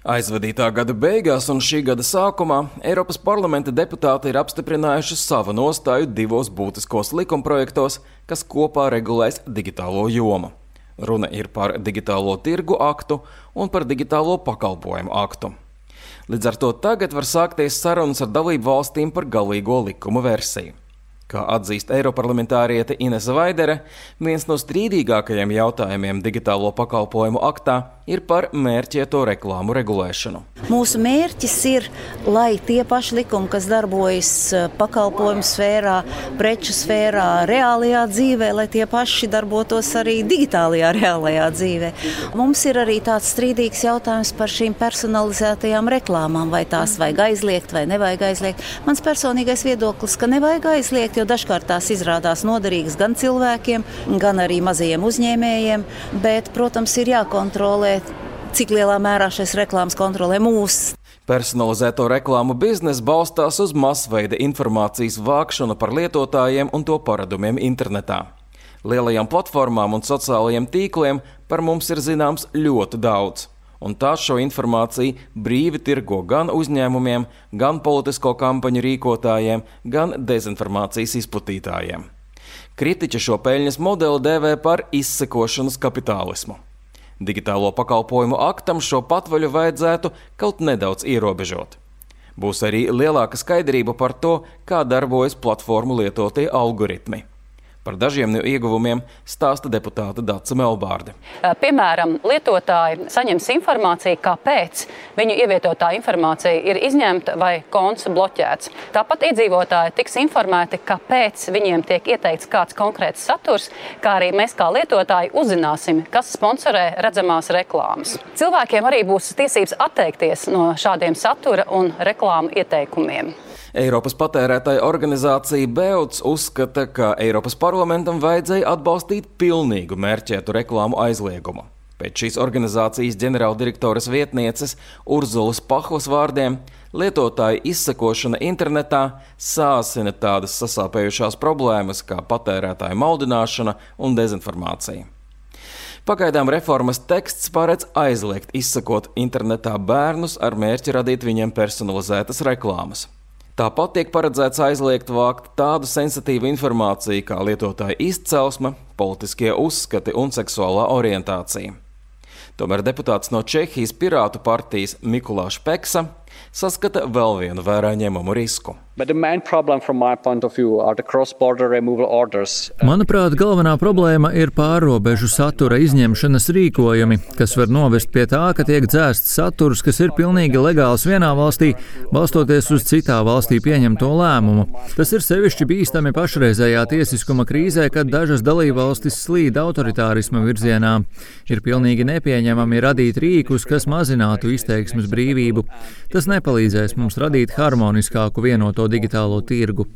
Aizvadītā gada beigās un šī gada sākumā Eiropas parlamenta deputāti ir apstiprinājuši savu nostāju divos būtiskos likumprojektos, kas kopā regulēs digitālo jomu. Runa ir par digitālo tirgu aktu un par digitālo pakalpojumu aktu. Līdz ar to tagad var sākties sarunas ar dalību valstīm par galīgo likuma versiju. Kā atzīst eiroparlamentāriete Inese Vaidere, viens no strīdīgākajiem jautājumiem digitālo pakalpojumu aktā ir par mērķēto reklāmu regulēšanu. Mūsu mērķis ir, lai tie paši likumi, kas darbojas pakalpojumu sfērā, preču sfērā, reālajā dzīvē, lai tie paši darbotos arī digitālajā reālajā dzīvē. Mums ir arī tāds strīdīgs jautājums par šīm personalizētajām reklāmām, vai tās vajag aizliegt vai nevajag aizliegt. Mans personīgais viedoklis, ka nevajag aizliegt, jo dažkārt tās izrādās noderīgas gan cilvēkiem, gan arī mazajiem uzņēmējiem, bet, protams, ir jākontrolē, cik lielā mērā šīs reklāmas kontrolē mūs. Personalizēto reklāmu biznesa balstās uz masveida informācijas vākšanu par lietotājiem un to paradumiem internetā. Lielajām platformām un sociālajiem tīkliem par mums ir zināms ļoti daudz, un tās šo informāciju brīvi tirgo gan uzņēmumiem, gan politisko kampaņu rīkotājiem, gan dezinformācijas izplatītājiem. Kritiķi šo peļņas modeli dēvē par izsekošanas kapitālismu. Digitālo pakalpojumu aktam šo patvaļu vajadzētu kaut nedaudz ierobežot. Būs arī lielāka skaidrība par to, kā darbojas platformu lietotie algoritmi. Par dažiem no ieguvumiem stāsta deputāte Dace Melbārde. Piemēram, lietotāji saņems informāciju, kāpēc viņu ievietotā informācija ir izņemta vai konts bloķēts. Tāpat iedzīvotāji tiks informēti, kāpēc viņiem tiek ieteikts kāds konkrēts saturs, kā arī mēs kā lietotāji uzzināsim, kas sponsorē redzamās reklāmas. Cilvēkiem arī būs tiesības atteikties no šādiem satura un reklāmu ieteikumiem. Eiropas patērētāju organizācija BEUC uzskata, ka Eiropas parlamentam vajadzēja atbalstīt pilnīgu mērķētu reklāmu aizliegumu. Pēc šīs organizācijas ģenerāldirektoras vietnieces Urzulas Pahlas vārdiem, lietotāju izsekošana internetā sāsina tādas sasāpējušās problēmas kā patērētāju maldināšana un dezinformācija. Pagaidām reformas teksts paredz aizliegt izsekot internetā bērnus ar mērķi radīt viņiem personalizētas reklāmas. Tāpat tiek paredzēts aizliegt vākt tādu sensitīvu informāciju kā lietotāja izcelsme, politiskie uzskati un seksuālā orientācija. Tomēr deputāts no Čehijas Pirātu partijas Mikulāš Peksa saskata vēl vienu vērā ņemamu risku. Manuprāt, galvenā problēma ir pārrobežu satura izņemšanas rīkojumi, kas var novest pie tā, ka tiek dzēsts saturs, kas ir pilnīgi legāls vienā valstī, balstoties uz citā valstī pieņemto lēmumu. Tas ir sevišķi bīstami pašreizējā tiesiskuma krīzē, kad dažas dalībvalstis slīd autoritārisma virzienā. Ir pilnīgi nepieņemami radīt rīkus, kas mazinātu izteiksmes brīvību. Tas nepalīdzēs mums radīt harmoniskāku vienoto digitālo tirgu.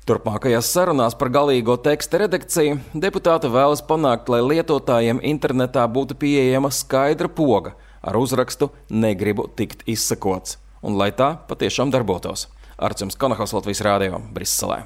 Turpmākajās sarunās par galīgo teksta redakciju deputāti vēlas panākt, lai lietotājiem internetā būtu pieejama skaidra poga ar uzrakstu "Negribu tikt izsekots", un lai tā patiešām darbotos. Artjums Konahovs, Latvijas Rādio, Briselē.